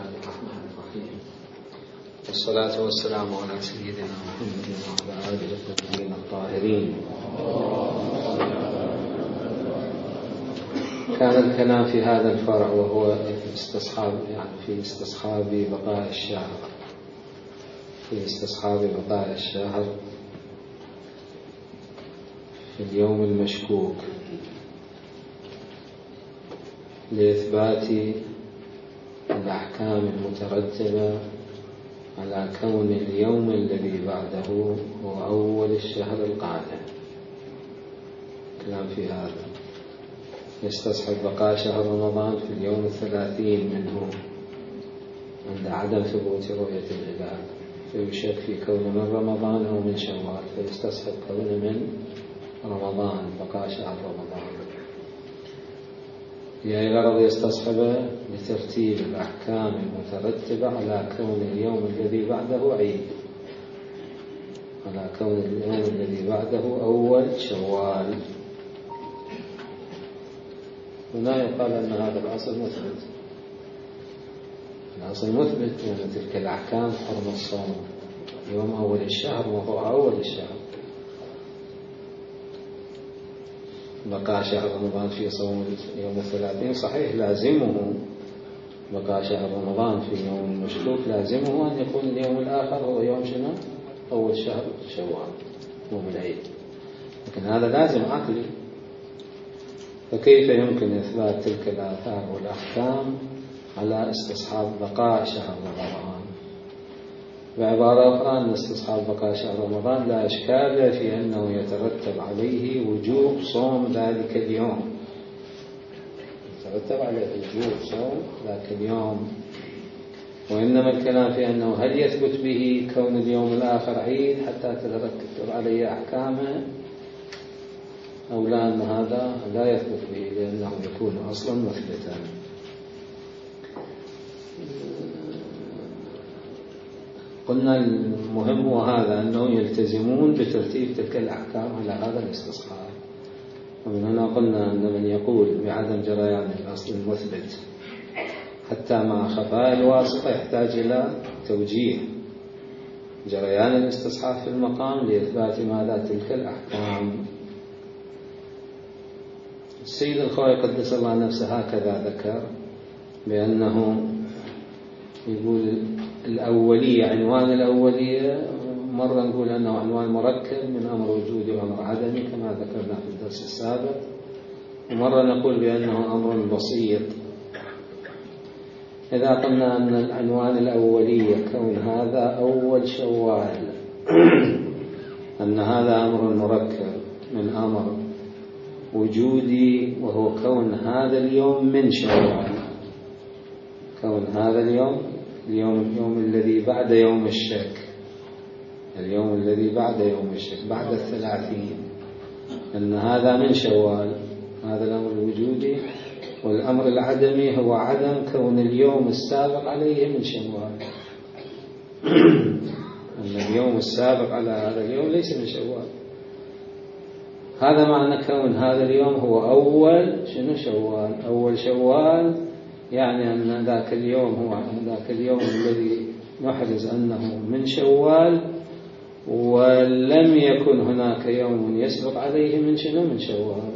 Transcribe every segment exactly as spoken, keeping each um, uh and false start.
الرحمن الرحيم، والصلاة والسلام على سيدنا محمد وعلى آله الطيبين الطاهرين. كان الكلام في هذا الفرع وهو استصحاب يعني في استصحاب بقاء الشهر في استصحاب بقاء الشهر في اليوم المشكوك لإثبات الأحكام المترتبة على كون اليوم الذي بعده هو أول الشهر القادم. كلام في هذا يستصحب بقاء شهر رمضان في اليوم الثلاثين منه عند عدم ثبوت رؤية الهلال، فيشك في كون من رمضان أو من شوال، فيستصحب كون من رمضان بقاء شهر رمضان، يعني غرض يستصحب بترتيب الأحكام المترتبة على كون اليوم الذي بعده عيد، على كون اليوم الذي بعده أول شوال. هنا يقال أن هذا الأصل مثبت، الأصل مثبت يعني تلك الأحكام حرم الصوم يوم أول الشهر وهو أول الشهر. بقاء شهر رمضان في صوم يوم الثلاثين صحيح لازمه، بقاء شهر رمضان في يوم المشكوك لازمه أن يكون اليوم الآخر هو يوم شنو؟ أول شهر شوال يوم العيد، لكن هذا لازم عقلي، فكيف يمكن إثبات تلك الآثار والأحكام على استصحاب بقاء شهر رمضان؟ بعبارة أخرى أن استصحاب بقاء شهر رمضان لا إشكال في أنه يترتب عليه وجوب صوم ذلك اليوم، يترتب عليه وجوب صوم ذلك اليوم، وإنما الكلام في أنه هل يثبت به كون اليوم الآخر عيد حتى تترتب عليه أحكامه أو لا، أن هذا لا يثبت به لأنه يكون أصلا مثبتا. قلنا المهم وهذا أنه يلتزمون بترتيب تلك الأحكام على هذا الاستصحاب، ومن هنا قلنا أن من يقول بعدم جريان الأصل المثبت حتى مع خفاء الواسطة يحتاج إلى توجيه جريان الاستصحاب في المقام لإثبات ماذا تلك الأحكام. السيد الخوئي قدس الله نفسه هكذا ذكر بأنه يقول الأولية، عنوان الأولية مرة نقول أنه عنوان مركب من أمر وجودي وأمر عدمي كما ذكرنا في الدرس السابق، ومرة نقول بأنه أمر بسيط. إذا قلنا أن العنوان الأولية كون هذا أول شوال أن هذا أمر مركب من أمر وجودي وهو كون هذا اليوم من شوال، كون هذا اليوم اليوم اليوم الذي بعد يوم الشك، اليوم الذي بعد يوم الشك بعد الثلاثين، أن هذا من شوال، هذا الأمر الوجودي. والأمر العدمي هو عدم كون اليوم السابق عليه من شوال، أن اليوم السابق على هذا اليوم ليس من شوال. هذا معنى كون هذا اليوم هو أول شنو شوال، أول شوال يعني أن ذاك اليوم هو ذاك اليوم الذي نحرز أنه من شوال، ولم يكن هناك يوم يسبق عليه من شنو من شوال،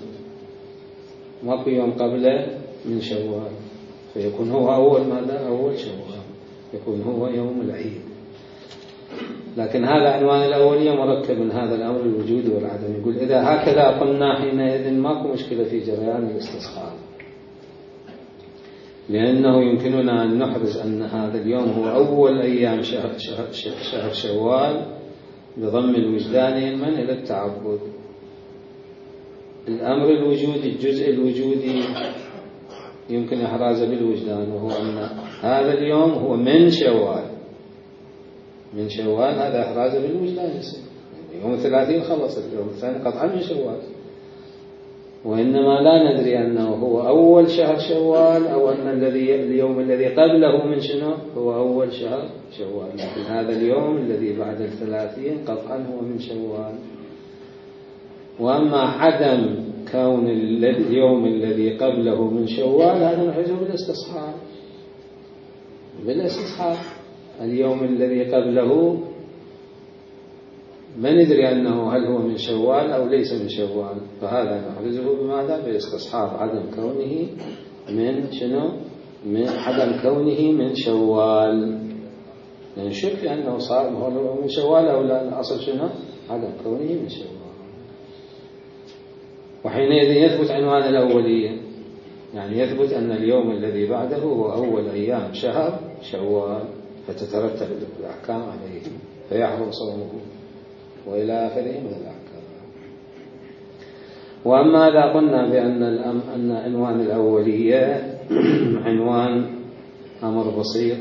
ماكو يوم قبله من شوال، فيكون هو أول ماذا أول شوال، يكون هو يوم العيد. لكن هذا عنوان الأولية مركب من هذا الأمر الوجود والعدم. يقول إذا هكذا قلنا حينئذ ماكو مشكلة في جريان الاستصحاب، لأنه يمكننا أن نحرز أن هذا اليوم هو أول أيام شهر, شهر, شهر شوال بضم الوجدان من إلى التعبد. الأمر الوجودي الجزء الوجودي يمكن إحرازه بالوجدان، وهو أن هذا اليوم هو من شوال، من شوال هذا إحرازه بالوجدان يصير يوم الثلاثين خلص، اليوم الثاني قطعا من شوال، وإنما لا ندري أنه هو أول شهر شوال أو أن الذي اليوم الذي قبله من شنو هو أول شهر شوال، لكن هذا اليوم الذي بعد الثلاثين قطعا هو من شوال. وأما عدم كون اليوم الذي قبله من شوال هذا نحرزه بالاستصحاب، بالاستصحاب. اليوم الذي قبله ما ندري أنه هل هو من شوال أو ليس من شوال، فهذا نحرزه بماذا؟ باستصحاب عدم كونه من شنو؟ من عدم كونه من شوال. نشك يعني أنه صار هو من شوال أو لا، الأصل شنو؟ عدم كونه من شوال. وحينئذ يثبت عنوان الأولية، يعني يثبت أن اليوم الذي بعده هو أول أيام شهر شوال، فتترتب الأحكام عليه فيحرم صومه وإلى آخره من الأحكام. وأما إذا قلنا بأن أن عنوان الأولية عنوان أمر بسيط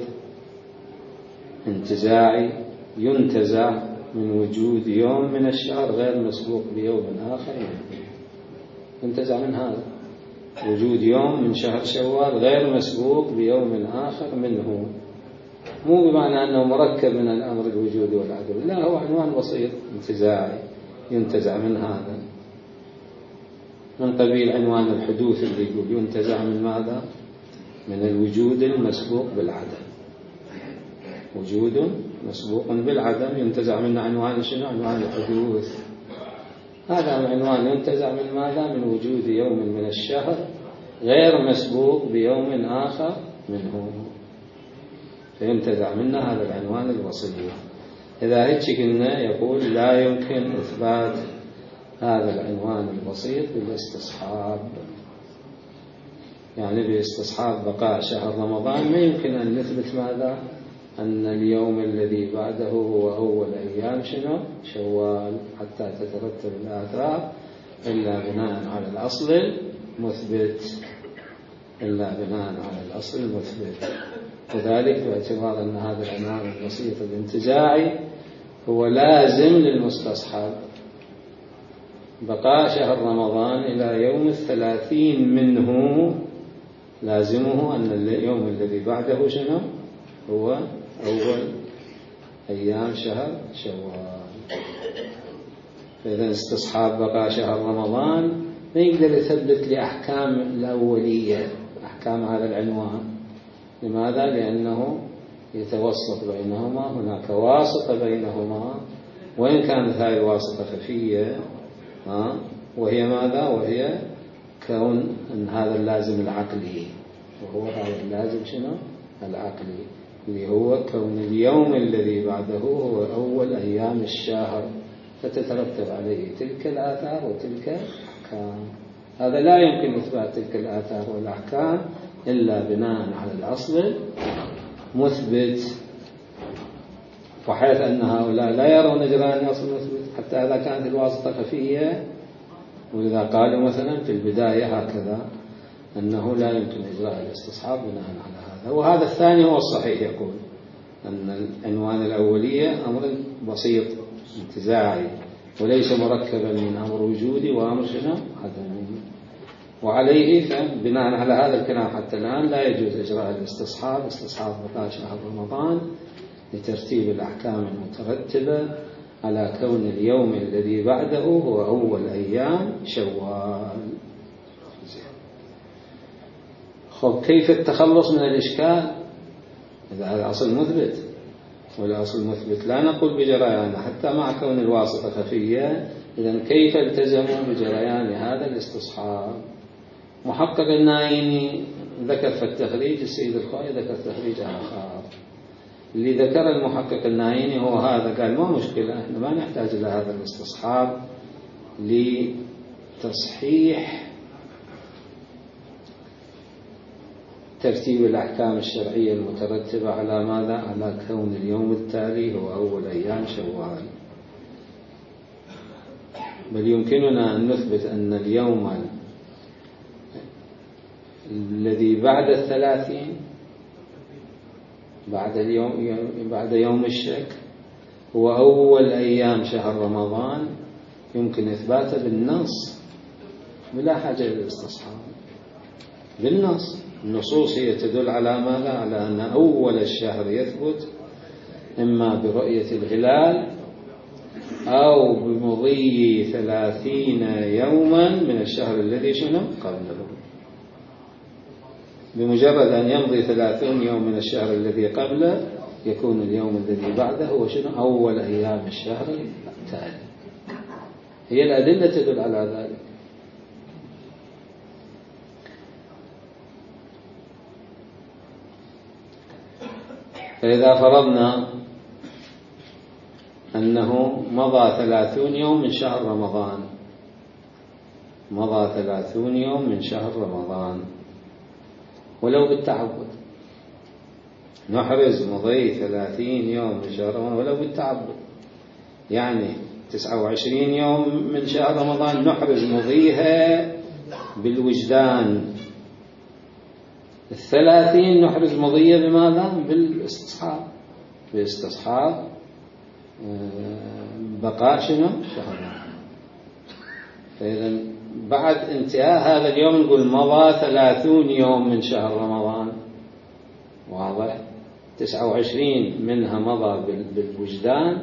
انتزاعي ينتزع من وجود يوم من الشهر غير مسبوق بيوم آخر منه، ينتزع من هذا وجود يوم من شهر شوال غير مسبوق بيوم آخر منه، مو بمعنى أنه مركب من الأمر الوجود والعدم، لا، هو عنوان بسيط انتزاعي ينتزع من هذا، من قبيل عنوان الحدوث اللي يقول ينتزع من ماذا؟ من الوجود المسبوق بالعدم. وجود مسبوق بالعدم ينتزع من عنوان شنو؟ عنوان الحدوث. هذا العنوان ينتزع من ماذا؟ من وجود يوم من الشهر غير مسبوق بيوم آخر منه، فينتزع منا هذا العنوان البسيط. إذا هيك قلنا يقول لا يمكن إثبات هذا العنوان البسيط بالاستصحاب، يعني باستصحاب بقاء شهر رمضان ما يمكن أن نثبت ماذا؟ أن اليوم الذي بعده هو أول أيام شنو؟ شوال، حتى تترتب الآثار إلا بناء على الأصل المثبت، إلا بناء على الأصل المثبت. وذلك باعتبار أن هذا العنوان البسيط الانتزاعي هو لازم للمستصحب، بقاء شهر رمضان إلى يوم الثلاثين منه لازمه أن اليوم الذي بعده شنو؟ هو أول أيام شهر شوال. فإذا استصحاب بقاء شهر رمضان ما يقدر يثبت لأحكام الأولية، أحكام هذا العنوان. لماذا؟ لأنه يتوسط بينهما، هناك واسطة بينهما، وإن كانت هذه الواسطة خفية وهي ماذا؟ وهي كون أن هذا اللازم العقلي، وهو هذا اللازم شنو؟ العقلي، اللي هو كون اليوم الذي بعده هو أول أيام الشهر، فتترتب عليه تلك الآثار وتلك الأحكام. هذا لا يمكن إثبات تلك الآثار والأحكام إلا بناء على الأصل مثبت، وحيث أن هؤلاء لا يرون جريان الأصل مثبت حتى إذا كانت الواسطة خفية. ولذا قالوا مثلا في البداية هكذا أنه لا يمكن إجراء الاستصحاب بناء على هذا. وهذا الثاني هو الصحيح، يقول أن العنوان الأولية أمر بسيط انتزاعي وليس مركبا من أمر وجودي وأمر شنو؟ عدمي. وعليه بناء على هذا الكلام حتى الآن لا يجوز إجراء الاستصحاب، استصحاب بقاء شهر رمضان، لترتيب الأحكام المترتبة على كون اليوم الذي بعده هو أول أيام شوال. خب كيف التخلص من الإشكال؟ إذا هذا أصل مثبت، والأصل مثبت لا نقول بجريان حتى مع كون الواسطة خفية، إذن كيف التزموا بجريان هذا الاستصحاب؟ محقق النايني ذكر في التخريج، السيد الخوئي ذكر تخريج آخر. اللي ذكر المحقق النايني هو هذا، قال ما مشكلة، احنا ما نحتاج إلى هذا الاستصحاب لتصحيح ترتيب الأحكام الشرعية المترتبة على ماذا؟ على كون اليوم التالي هو أول أيام شوال، بل يمكننا أن نثبت أن اليوم الذي بعد الثلاثين، بعد اليوم بعد يوم الشك، هو أول أيام شهر رمضان، يمكن إثباته بالنص بلا حاجة للاستصحاب. بالنص، النصوص هي تدل على ماذا؟ على أن أول الشهر يثبت إما برؤية الهلال أو بمضي ثلاثين يوما من الشهر الذي شنو قبله. بمجرد أن يمضي ثلاثون يوم من الشهر الذي قبله يكون اليوم الذي بعده هو شنو؟ أول أيام الشهر التالي. هي الأدلة تدل على ذلك. فإذا فرضنا أنه مضى ثلاثون يوم من شهر رمضان، مضى ثلاثون يوم من شهر رمضان ولو بالتعبد، نحرز مضي ثلاثين يوم من شهر رمضان ولو بالتعبد، يعني تسعة وعشرين يوم من شهر رمضان نحرز مضيها بالوجدان، الثلاثين نحرز مضية بماذا؟ بالاستصحاب، بالاستصحاب بقاء شنو؟ شهر. فإذا بعد انتهاء هذا اليوم نقول مضى ثلاثون يوم من شهر رمضان، واضح؟ تسعة وعشرين منها مضى بالوجدان،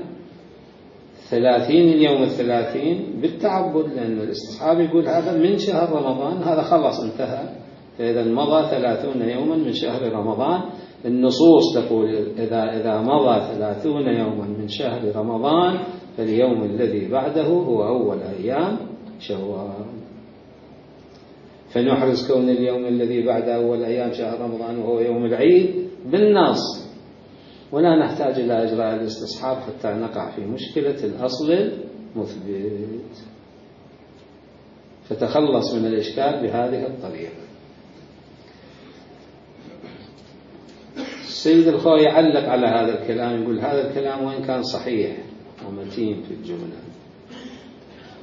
ثلاثين اليوم الثلاثين بالتعبد، لأن الاستصحاب يقول هذا من شهر رمضان، هذا خلص انتهى. فإذا مضى ثلاثون يوما من شهر رمضان، النصوص تقول إذا إذا مضى ثلاثون يوما من شهر رمضان فاليوم الذي بعده هو أول أيام شوال. فنحرز كون اليوم الذي بعد أول أيام شهر رمضان وهو يوم العيد بالنص، ولا نحتاج إلى إجراء الاستصحاب حتى نقع في مشكلة الأصل المثبت. فتخلص من الإشكال بهذه الطريقة. السيد الخوي يعلق على هذا الكلام، يقول هذا الكلام وإن كان صحيح ومتين في الجملة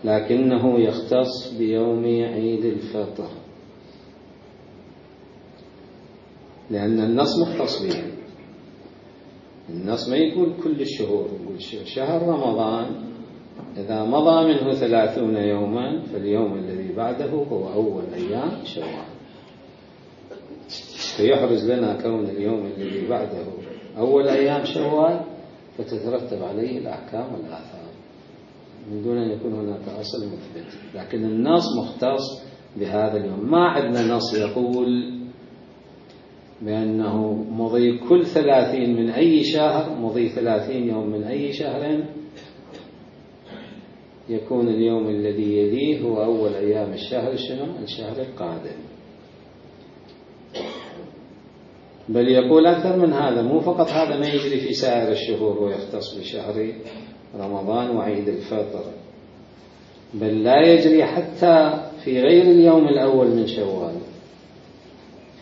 لكنه يختص بيوم عيد الفطر، لأن النص مختص به. النص ما يقول كل الشهور، يقول شهر رمضان إذا مضى منه ثلاثون يوما فاليوم الذي بعده هو أول أيام شوال. فيحرز لنا كون اليوم الذي بعده أول أيام شوال، فتترتب عليه الأحكام والآثار من دون أن يكون هناك أصل مثبت. لكن النص مختص بهذا اليوم. ما عندنا نص يقول بأنه مضي كل ثلاثين من أي شهر، مضي ثلاثين يوم من أي شهر يكون اليوم الذي يليه هو أول أيام الشهر شنو؟ الشهر القادم. بل يقول أكثر من هذا، مو فقط هذا ما يجري في سائر الشهور ويختص بشهر رمضان وعيد الفطر، بل لا يجري حتى في غير اليوم الأول من شوال.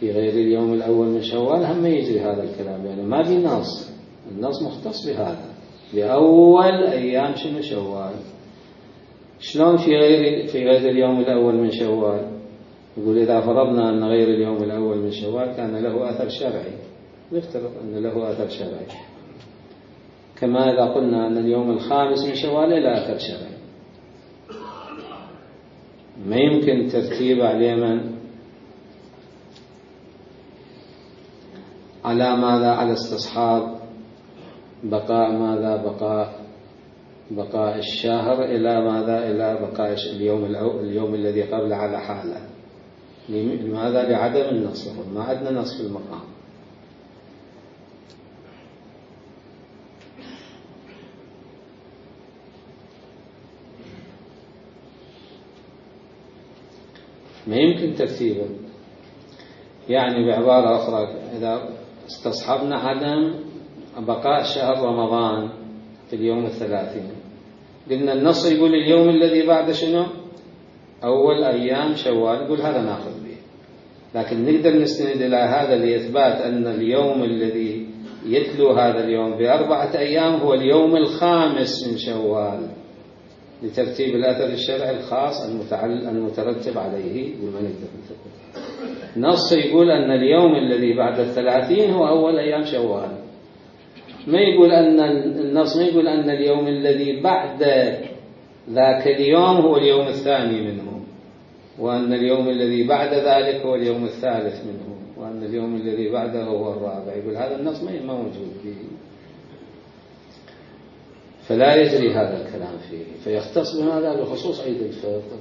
في غير اليوم الأول من شوال هم يجري هذا الكلام، يعني ما في نص، النص مختص بهذا بأول أيام شنو شوال. شلون في غير في غير اليوم الأول من شوال؟ يقول إذا فرضنا أن غير اليوم الأول من شوال كان له أثر شرعي، نفترض أن له أثر شرعي، كما إذا قلنا أن اليوم الخامس من شوال له أثر شرعي. ما يمكن ترتيب على من على ماذا؟ على استصحاب بقاء ماذا؟ بقاء بقاء الشهر إلى ماذا؟ إلى بقاء اليوم اليوم الذي قبل على حاله. لماذا؟ لعدم النص، ما عندنا نص في المقام. ما يمكن ترتيبه. يعني بعبارة أخرى إذا استصحبنا عدم بقاء شهر رمضان في اليوم الثلاثين، قلنا النص يقول اليوم الذي بعد شنو؟ أول أيام شوال، يقول هذا ناخذ به. لكن نقدر نستند إلى هذا لإثبات أن اليوم الذي يتلو هذا اليوم بأربعة أيام هو اليوم الخامس من شوال، لترتيب الأثر الشرعي الخاص المترتب عليه. بما نقدر نقول نص يقول أن اليوم الذي بعد الثلاثين هو أول أيام شوال، ما يقول أن النص ما يقول أن اليوم الذي بعد ذاك اليوم هو اليوم الثاني منه، وأن اليوم الذي بعد ذلك هو اليوم الثالث منه، وأن اليوم الذي بعده هو الرابع. يقول هذا النص ما موجود فيه، فلا يجري هذا الكلام فيه. فيختص بماذا؟ بخصوص عيد الفطر،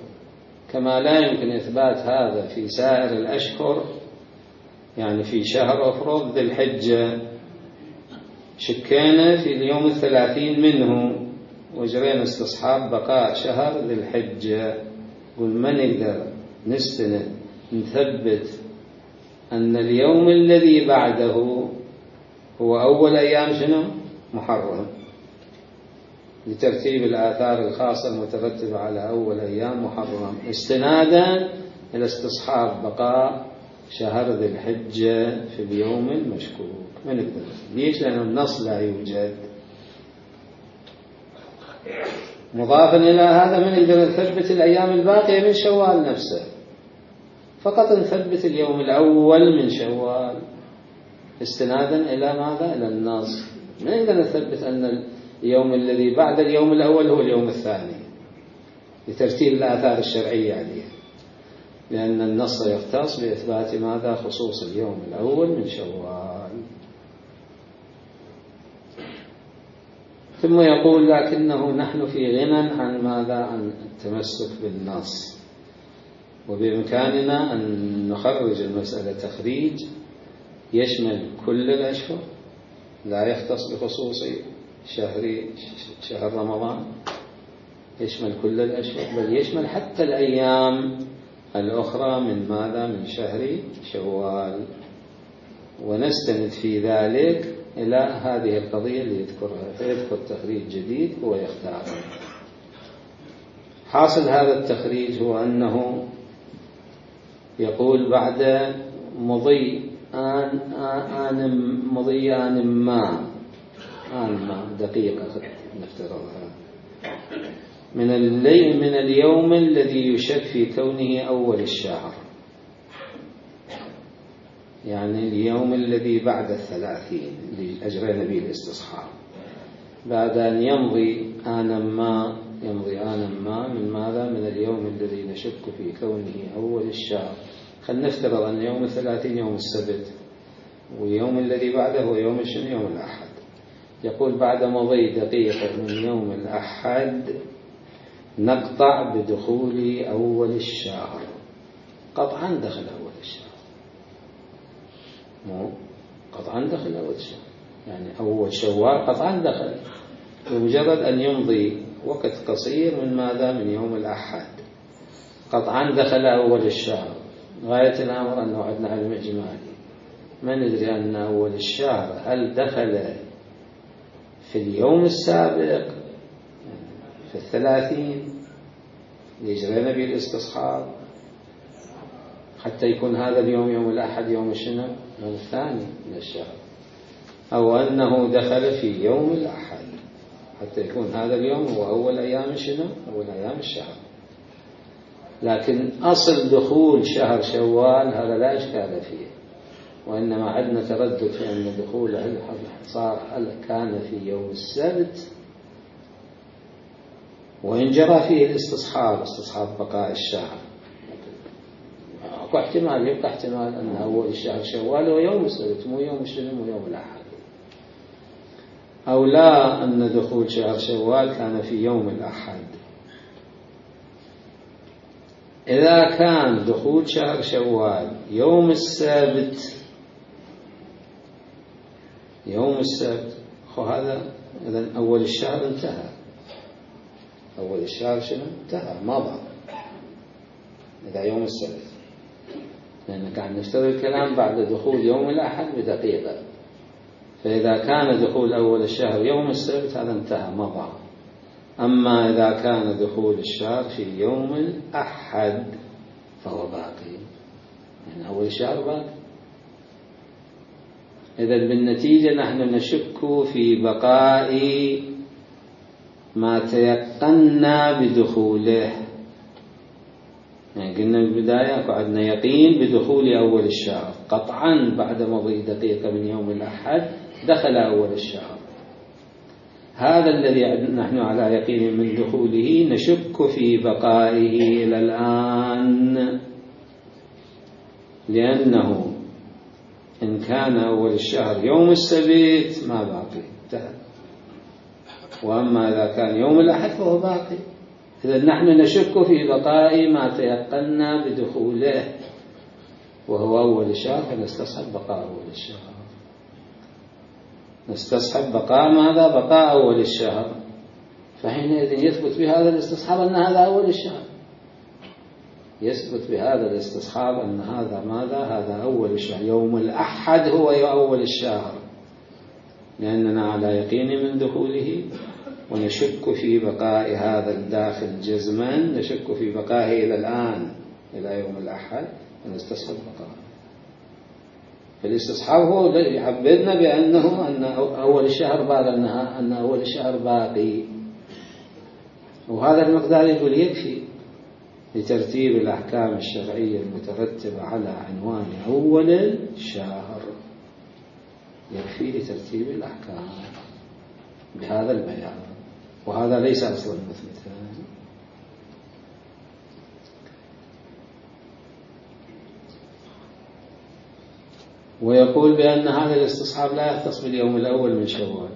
كما لا يمكن إثبات هذا في سائر الأشهر يعني في شهر أفرض ذي الحجة شكينا في اليوم الثلاثين منه وجرينا استصحاب بقاء شهر ذي الحجة، قل ما نقدر نستند نثبت أن اليوم الذي بعده هو أول أيام شنو؟ محرم، لترتيب الآثار الخاصة المترتبة على أول أيام محرم، استنادا إلى استصحاب بقاء شهر ذي الحجة في اليوم المشكوك. ما نقدر. ليش؟ لأن النص لا يوجد. مضافا إلى هذا ما نقدر نثبت الأيام الباقية من شوال نفسه، فقط نثبت اليوم الأول من شوال استنادا إلى ماذا؟ إلى النص. ما نقدر نثبت أن اليوم الذي بعد اليوم الأول هو اليوم الثاني لترتيب الآثار الشرعية عليه، لأن النص يختص بإثبات ماذا؟ خصوص اليوم الأول من شوال. ثم يقول لكنه نحن في غنى عن ماذا؟ عن التمسك بالنص، وبإمكاننا أن نخرج المسألة تخريج يشمل كل الأشهر، لا يختص بخصوص شهر شهر رمضان، يشمل كل الأشهر، بل يشمل حتى الأيام الأخرى من ماذا؟ من شهر شوال، ونستند في ذلك إلى هذه القضية اللي يذكرها، فيذكر تخريج جديد هو يختاره. حاصل هذا التخريج هو أنه يقول بعد مضي آن آن مضي آن ما آن ما دقيقة نفترضها من الليل من اليوم الذي يشك في كونه أول الشهر، يعني اليوم الذي بعد الثلاثين اللي أجرينا به الاستصحاب، بعد أن يمضي آنا ما يمضي آنا ما من ماذا؟ من اليوم الذي نشك في كونه أول الشهر. خلينا نفترض أن يوم الثلاثين يوم السبت، واليوم الذي بعده هو يوم الشنو؟ يوم الأحد. يقول بعد مضي دقيقة من يوم الأحد نقطع بدخول أول الشهر. قطعا دخل أول الشهر، مو قطعا دخل أول الشهر، يعني أول شوال قطعا دخل بمجرد أن يمضي وقت قصير من ماذا؟ من يوم الأحد قطعا دخل أول الشهر. غاية الأمر أنه عندنا علم إجمالي، ما ندري أن أول الشهر هل دخل في اليوم السابق في الثلاثين يجرينا به الاستصحاب حتى يكون هذا اليوم يوم الأحد يوم الشنو؟ يوم الثاني من الشهر، أو أنه دخل في يوم الأحد حتى يكون هذا اليوم هو أول أيام شنو؟ أول أيام الشهر. لكن أصل دخول شهر شوال هذا لا إشكال فيه، وإنما عندنا تردد في أن دخوله صار هل كان في يوم السبت وإن جرى فيه الاستصحاب استصحاب بقاء الشهر، أكو احتمال يبقى احتمال أن أول الشهر شوال هو يوم السبت مو يوم الشنو؟ مو يوم الأحد، أو لا أن دخول شهر شوال كان في يوم الأحد. إذا كان دخول شهر شوال يوم السبت يوم السبت خو هذا إذن أول الشهر انتهى، أول الشهر شنو؟ انتهى مضى إذا يوم السبت، لأن قاعد نفترض الكلام بعد دخول يوم الأحد بدقيقة، فإذا كان دخول أول الشهر يوم السبت هذا انتهى مضى. أما إذا كان دخول الشهر في يوم الأحد فهو باقي، يعني أول الشهر باقي. إذن بالنتيجة نحن نشك في بقاء ما تيقنا بدخوله، يعني قلنا بالبداية عندنا يقين بدخول أول الشهر قطعا بعد مضي دقيقة من يوم الأحد دخل أول الشهر، هذا الذي نحن على يقين من دخوله نشك في بقائه إلى الآن، لأنه إن كان أول الشهر يوم السبت ما باقي انتهى، وأما إذا كان يوم الأحد فهو باقي. إذا نحن نشك في بقاء ما تيقنا بدخوله، وهو أول الشهر فنستصحب بقاء أول الشهر. نستصحب بقاء ماذا؟ بقاء أول الشهر. فحينئذ يثبت بهذا الاستصحاب أن هذا أول الشهر، يثبت بهذا الاستصحاب أن هذا ماذا؟ هذا أول الشهر. يوم الأحد هو أول الشهر، لأننا على يقين من دخوله، ونشك في بقاء هذا الداخل جزما، نشك في بقائه إلى الآن إلى يوم الأحد، ونستصحب بقاءه. فالاستصحاب هو يعبدنا بأنه أن أول الشهر بعد أنها أن أول الشهر باقي، وهذا المقدار يقول يكفي لترتيب الأحكام الشرعية المترتبة على عنوان أول الشهر، يكفي لترتيب الأحكام بهذا البيان، وهذا ليس أصلا مثبتا. ويقول بأن هذا الاستصحاب لا يختص باليوم الأول من شوال،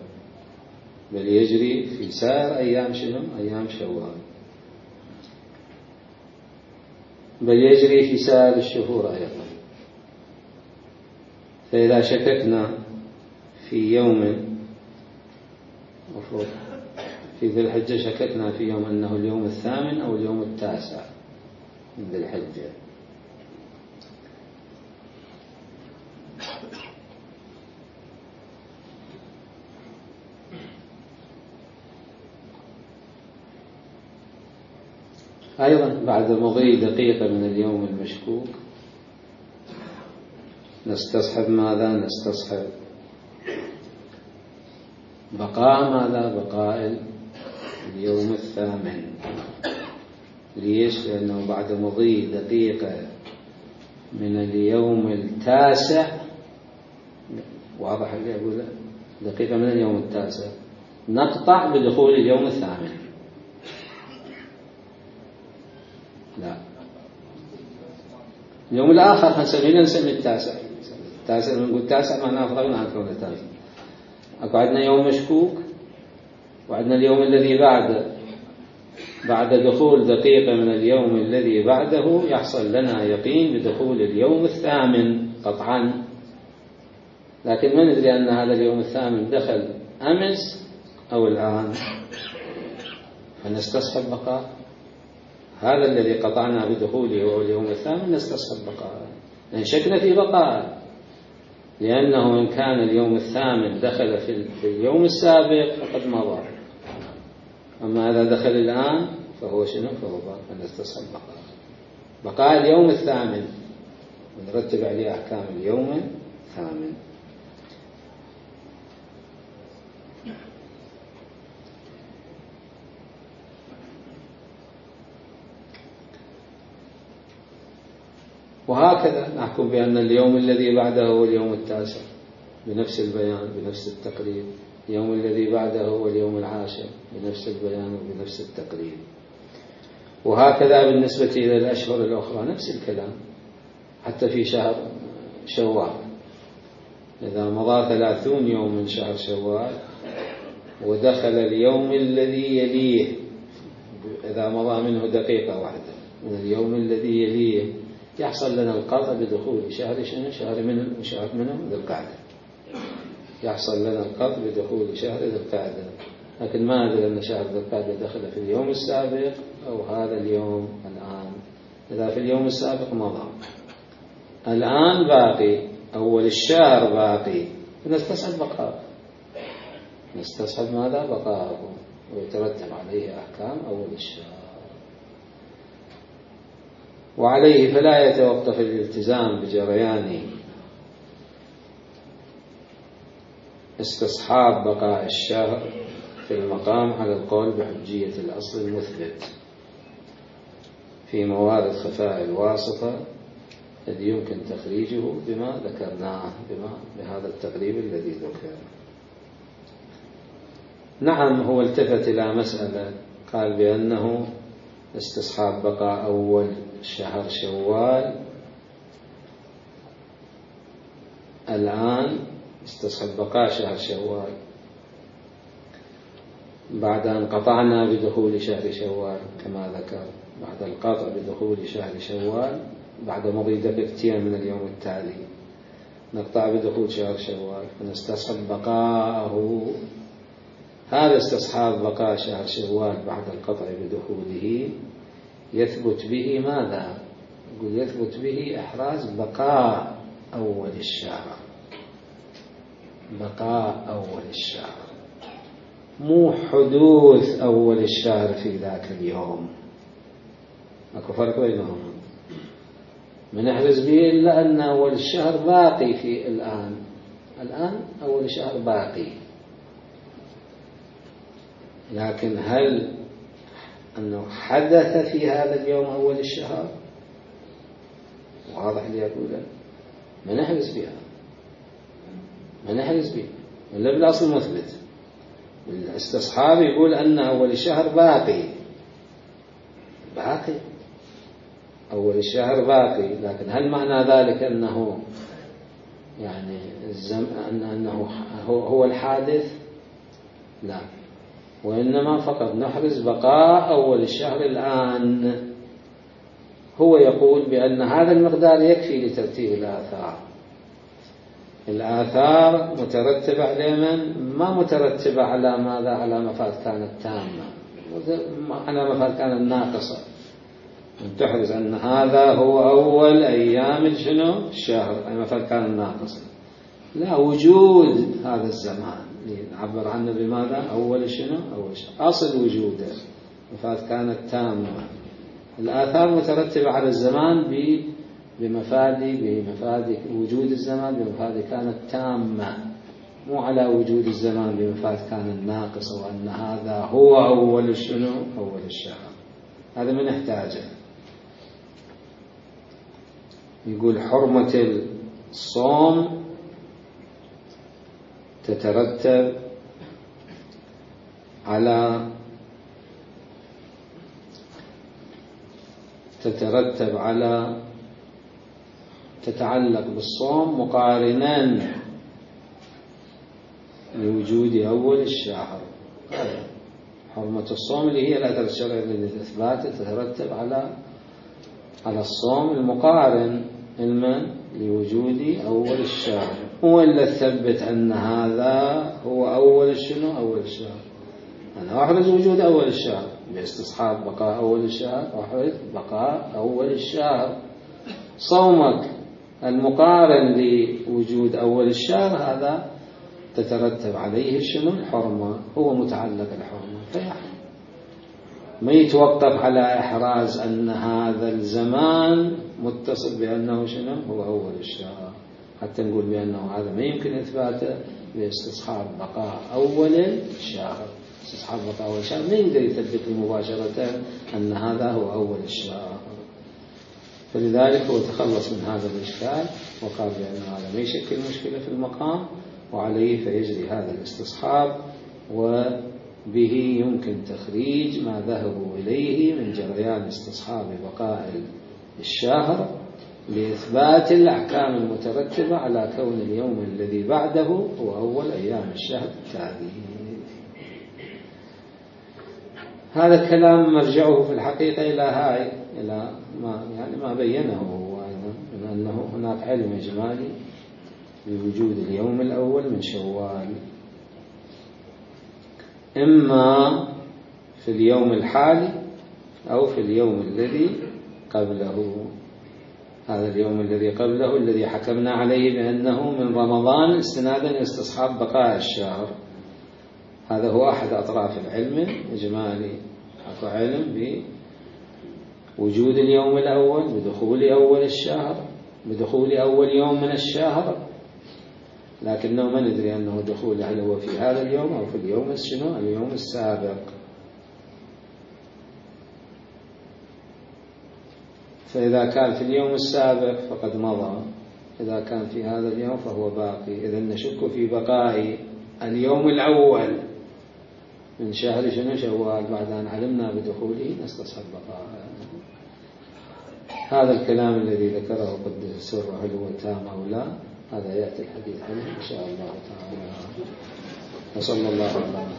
بل يجري في سائر أيام شنو؟ أيام شوال، بل يجري في سائر الشهور أيضا. فإذا شككنا في يوم مفروض في ذي الحجة، شككنا في يوم أنه اليوم الثامن أو اليوم التاسع من ذي الحجة، أيضا بعد مضي دقيقة من اليوم المشكوك نستصحب ماذا؟ نستصحب بقاء ماذا؟ بقاء اليوم الثامن. ليش؟ لأنه بعد مضي دقيقة من اليوم التاسع، واضح اللي أقوله، دقيقة من اليوم التاسع نقطع بدخول اليوم الثامن. لا، اليوم الآخر هنسميه نسمي التاسع. التاسع لما نقول التاسع معناه فرغنا عن كونه التاسع. أكو عندنا يوم مشكوك، وعندنا اليوم الذي بعده، بعد دخول دقيقة من اليوم الذي بعده يحصل لنا يقين بدخول اليوم الثامن قطعا، لكن ما ندري أن هذا اليوم الثامن دخل أمس أو الآن، فنستصحب بقاء هذا الذي قطعنا بدخوله وهو اليوم الثامن، نستصحب بقاء، لأن شكنا في بقاء، لأنه إن كان اليوم الثامن دخل في اليوم السابق فقد مضى، أما إذا دخل الآن فهو شنو؟ فهو باق، فنستصحب بقاء بقاء اليوم الثامن ونرتب عليه أحكام اليوم الثامن. وهكذا نحكم بأن اليوم الذي بعده هو اليوم التاسع بنفس البيان بنفس التقريب، اليوم الذي بعده هو اليوم العاشر بنفس البيان وبنفس التقريب، وهكذا بالنسبة إلى الأشهر الأخرى نفس الكلام. حتى في شهر شوال إذا مضى ثلاثون يوم من شهر شوال ودخل اليوم الذي يليه، إذا مضى منه دقيقة واحدة من اليوم الذي يليه، يحصل لنا القطع بدخول شهر شنو؟ شهر من شهر منه ذي القعدة، يحصل لنا القطع بدخول شهر ذي القعدة، لكن ما أدري أن شهر ذي القعدة دخل في اليوم السابق أو هذا اليوم الآن. إذا في اليوم السابق مضى، الآن باقي، أول الشهر باقي، نستصحب بقاءه، نستصحب ماذا؟ بقاءه، ويترتب عليه أحكام أول الشهر. وعليه فلا يتوقف الالتزام بجريان استصحاب بقاء الشهر في المقام على القول بحجية الأصل المثبت في موارد خفاء الواسطة الذي يمكن تخريجه بما ذكرناه، بما بهذا التقريب الذي ذكر. نعم، هو التفت إلى مسألة قال بأنه استصحاب بقاء أول شهر شوال الآن، استصحاب بقاء شهر شوال بعد أن قطعنا بدخول شهر شوال كما ذكر، بعد القطع بدخول شهر شوال بعد مضي دقيقتين من اليوم التالي نقطع بدخول شهر شوال، فنستصحب بقاءه. هذا استصحاب بقاء شهر شوال بعد القطع بدخوله يثبت به ماذا؟ يقول يثبت به إحراز بقاء أول الشهر، بقاء أول الشهر، مو حدوث أول الشهر في ذاك اليوم. أكو فرق بينهم. من احرز به إلا أن أول الشهر باقي في الآن، الآن أول الشهر باقي، لكن هل أنه حدث في هذا اليوم أول الشهر؟ واضح اللي أقوله. ما نحرز بها، ما نحرز بها إلا بالأصل مثبت. الاستصحاب يقول أن أول الشهر باقي، باقي أول الشهر باقي، لكن هل معنى ذلك أنه يعني الزم... أنه هو الحادث؟ لا، وإنما فقط نحرز بقاء أول الشهر الآن. هو يقول بأن هذا المقدار يكفي لترتيب الآثار. الآثار مترتبة على من؟ ما مترتبة على ماذا؟ على مفاد كانت تامة، على مفاد كانت ناقصة. تحرز أن هذا هو أول أيام شنو؟ الشهر، أي مفاد كانت ناقصة. لا، وجود هذا الزمان نعبر عنه بماذا؟ أول شنو؟ أول شهر، أصل وجوده مفاد كانت تامة. الآثار مترتبة على الزمان بمفاد بمفاد وجود الزمان بمفاد كانت تامة، مو على وجود الزمان بمفاد كانت ناقصة، وأن هذا هو أول شنو؟ أول الشهر. هذا من نحتاجه. يقول حرمة الصوم تترتب على تترتب على تتعلق بالصوم مقارنا لوجود أول الشهر. حرمة الصوم اللي هي الأثر الشرعي للإثبات تترتب على على الصوم المقارن المن لوجود أول الشهر، وإلا ثبت أن هذا هو أول شنو؟ أول الشهر. أنا أحرز وجود أول الشهر باستصحاب بقاء أول الشهر، أحرز بقاء أول الشهر. صومك المقارن لوجود أول الشهر هذا تترتب عليه شنو؟ الحرمة، هو متعلق الحرمة، فيحرم. ما يتوقف على إحراز أن هذا الزمان متصل بأنه شنو؟ هو أول الشهر، حتى نقول بأنه هذا ما يمكن إثباته باستصحاب بقاء أول الشهر. استصحاب بقاء أول الشهر ما يقدر يثبت مباشرة أن هذا هو أول الشهر. فلذلك هو تخلص من هذا الإشكال وقال بأن هذا ما يشكل مشكلة في المقام، وعليه فيجري هذا الاستصحاب، وبه يمكن تخريج ما ذهبوا إليه من جريان استصحاب بقاء الشهر لإثبات الأحكام المترتبة على كون اليوم الذي بعده هو أول أيام الشهر التالي. هذا الكلام مرجعه في الحقيقة إلى هاي إلى ما يعني ما بينه هو أيضا من أنه هناك علم إجمالي بوجود اليوم الأول من شوال، إما في اليوم الحالي أو في اليوم الذي قبله. هذا اليوم الذي قبله الذي حكمنا عليه بأنه من رمضان استنادا لاستصحاب بقاء الشهر، هذا هو أحد أطراف العلم الإجمالي. أكو علم بوجود اليوم الأول بدخول أول الشهر، بدخول أول يوم من الشهر، لكنه ما ندري أنه دخول هل هو في هذا اليوم أو في اليوم شنو؟ اليوم السابق. فإذا كان في اليوم السابق فقد مضى، إذا كان في هذا اليوم فهو باقي. إذا نشك في بقاء اليوم الأول من شهر شنو؟ شوال، بعد أن علمنا بدخوله نستصحب بقاء. هذا الكلام الذي ذكره قدس سره هل هو تام أو لا، هذا يأتي الحديث عنه إن شاء الله تعالى. وصلى الله على محمد.